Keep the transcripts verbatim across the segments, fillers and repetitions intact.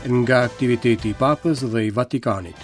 Nga aktiviteti i Papës dhe i Vatikanit.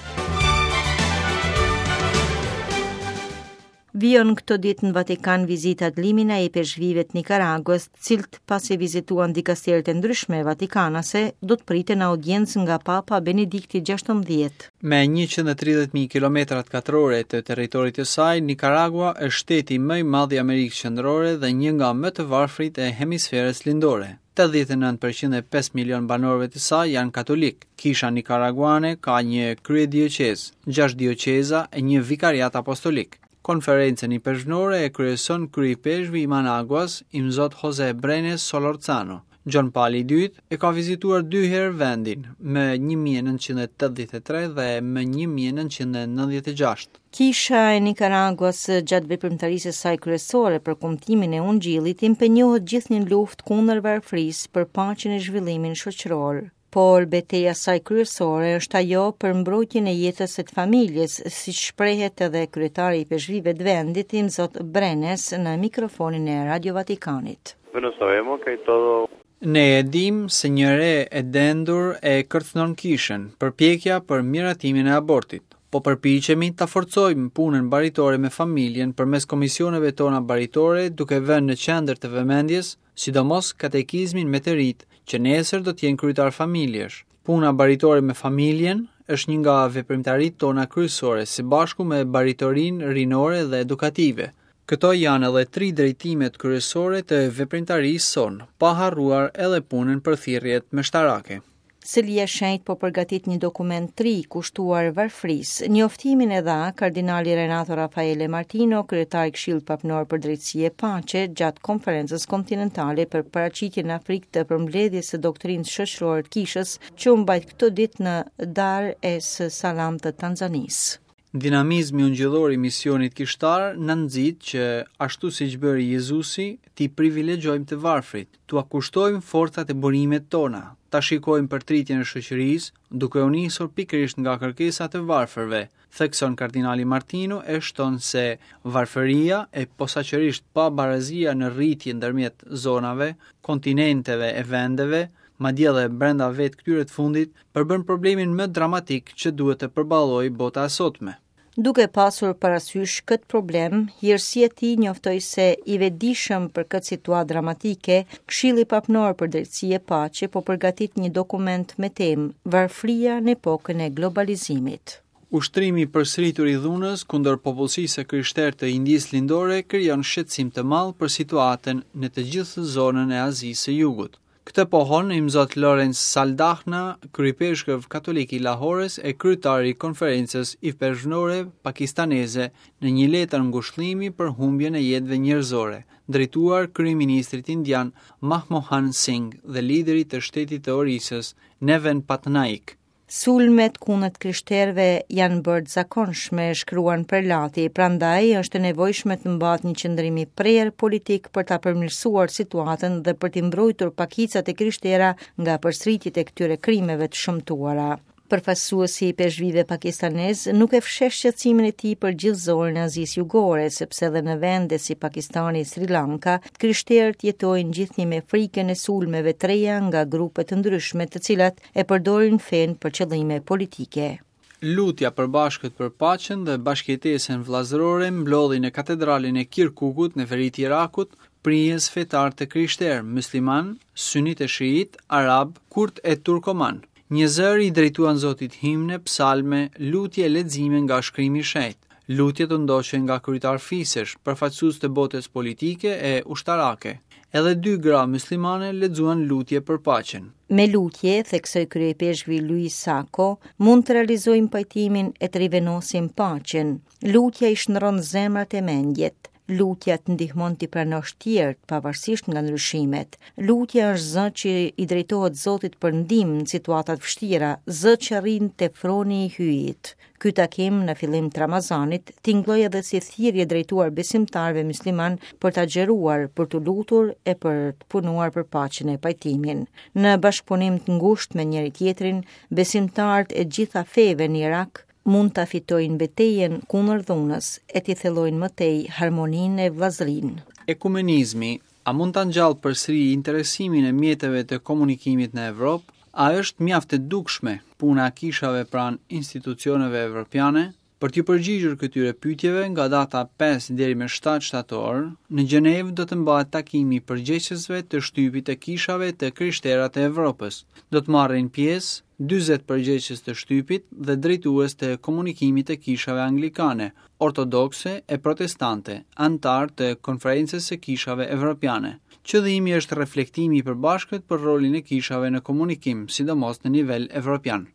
Vijon këto ditë në Vatikan vizitat limina e ipeshkvijve të Nikaraguas, të cilët pasi vizituan dikasteret e ndryshme vatikanase, do të priten në audiencë nga Papa Benedikti gjashtëmbëdhjetë. Me njëqind e tridhjetë mijë kilometra katrore të territorit të saj, Nikaragua është shteti më i madh i Amerikës Qendrore dhe një nga më të varfrit e hemisferës lindore. tetëdhjetë e nëntë përqind e pesë milion banorëve të saj janë katolik. Kisha nikaraguane ka një kryedioqezë, gjashtë dioqeza e një vikariat apostolik. Konferencën ipeshkvnore e kryeson kryeipeshkvi i Managuas, Imzot Jose Brenes Solorzano. Gjon Pali i dytë e ka vizituar dy herë vendin, më një mijë e nëntëqind e tetëdhjetë e tre dhe më një mijë e nëntëqind e nëntëdhjetë e gjashtë. Kisha e Nikaraguas gjatë veprimtarisë së saj kryesore për kumtimin e Ungjillit impenjohet gjithnjë në luftë kundër varfërisë për paqen e zhvillimin shoqëror. Por beteja saj kryesore është ajo për mbrojtjen e jetës së të familjes, siç shprehet edhe kryetari i ipeshkvijve të vendit, Imzot Brenes, në mikrofonin e Radio Vatikanit. Bueno, sabemos que hay todo Ne e dim se një re e dendur e kërcënon kishën, përpjekja për miratimin e abortit. Po përpiqemi ta forcojmë punën baritore me familjen përmes komisioneve tona baritore, duke vënë në qendër të vëmendjes, sidomos katekizmin me të rit, që nesër do të jenë kryetar familjesh. Puna baritore me familjen është një nga veprimtaritë tona kryesore, së bashku me baritorinë rinore dhe edukative. Këto janë edhe tri drejtimet kryesore të veprimtarisë sonë, pa harruar edhe punën për thirrjet meshtarake. Selia e Shenjtë po përgatit një dokument të ri kushtuar varfërisë. Njoftimin e dha kardinali Renato Raffaele Martino, kryetar i Këshillit Papnor për Drejtësi e Paqe, gjatë konferencës kontinentale për paraqitjen në Afrikë të përmbledhjes së doktrinës shoqërore të kishës, që u mbajt këto ditë në Dar es Salaam të Tanzanisë. Dinamizmi ungjillor i misionit kishtar na nxit që, ashtu siç bëri Jezusi, t'i privilegjojmë të varfrit, t'ua kushtojmë forcat e burimet tona, ta shikojmë përtritjen e shoqërisë, duke u nisur pikërisht nga kërkesat e varfërve, thekson kardinali Martino e shton se varfëria e posaçërisht pabarazia në rritje ndërmjet zonave, kontinenteve e vendeve, madje edhe brenda vetë këtyre të fundit, përbën problemin më dramatik që duhet të përballojë bota e sotme. Duke pasur parasysh këtë problem, hirësia e tij njoftoi se i vetëdijshëm për këtë situatë dramatike, Këshilli Papnor për Drejtësi e Paqe po përgatit një dokument me temë Varfëria në epokën e globalizimit. Ushtrimi i përsëritur i dhunës kundër popullsisë së krishterë të Indisë Lindore krijon shqetësim të madh për situatën në të gjithë zonën e Azisë së Jugut. Këtë pohon Imzot Lorenz Saldahna, kryepeshkëv katolik i Lahores e kryetar i konferencës ipeshkvnore pakistaneze, në një letër ngushëllimi për humbjen e jetëve njerëzore, drejtuar kryeministrit indian Manmohan Singh dhe liderit të shtetit të Orisës, Neven Patnaik. Sulmet kundër të krishterëve janë bërë të zakonshme, shkruan Prelati, prandaj është e nevojshme të mbahet një qëndrim i prerë politik për ta përmirësuar situatën dhe për t'i mbrojtur pakicat e krishtera nga përsëritjet e këtyre krimeve të shëmtuara. Përfaqësuesi i ipeshkvijve pakistanez nuk e fsheh shqetësimin e tij për gjithë zonën e Azisë Jugore, sepse edhe në vende si Pakistani e Sri Lanka, të krishterët jetojnë gjithnjë me frikën e sulmeve të reja nga grupe të ndryshme, të cilat e përdorin fenë për qëllime politike. Lutja përbashkët për paqen dhe bashkëjetesën vëllazërore mblodhi në katedralin e Kirkukut në veri të Irakut prijës fetar të krishterë, musliman, sunit e shiit, arab, kurd e turkoman. Një zëri i drejtuan Zotit himne, psalme, lutje e lexime nga shkrimi i shenjtë. Lutjet u ndoqën nga kryetar fisesh, përfaqësues të botës politike e ushtarake. Edhe dy gra muslimane lexuan lutje për paqen. Me lutje, theksoi kryepeshkvi Luis Sako, mund të realizojmë pajtimin e të rivenosim paqen. Lutja i shndron zemrat e mendjet. Lutja të ndihmon t'i pranosh tjerët, pavarësisht nga ndryshimet. Lutja është zë që i drejtohet Zotit për ndihmë në situata të vështira, zë që rrin te froni i hyjit. Ky takim në fillim të Ramazanit tingëlloi edhe si thirrje drejtuar besimtarëve musliman për ta xheruar, për t'u lutur e për të punuar për paqen e pajtimin. Në bashkëpunim të ngushtë me njëri tjetrin, besimtarët e gjitha feve në Irak mund ta fitojnë betejën kundër dhunës e t'i thellojnë më tej harmoninë e vëllazërinë. Ekumenizmi, a mund ta ngjall përsëri interesimin e mjeteve të komunikimit në Evropë? A është mjaft e dukshme puna e kishave pranë institucioneve evropiane? Për t'ju përgjigjur këtyre pyetjeve, nga data pesë deri më shtatë shtator, në Gjenevë do të mbahet takimi i përgjegjësve të shtypit të kishave të krishtera të Evropës. Do të marrin pjesë dyzet përgjegjës të shtypit dhe drejtues të komunikimit të kishave anglikane, ortodokse e protestante, anëtar të Konferencës së Kishave Evropiane. Qëllimi është reflektimi i përbashkët për rolin e kishave në komunikim, sidomos në nivel evropian.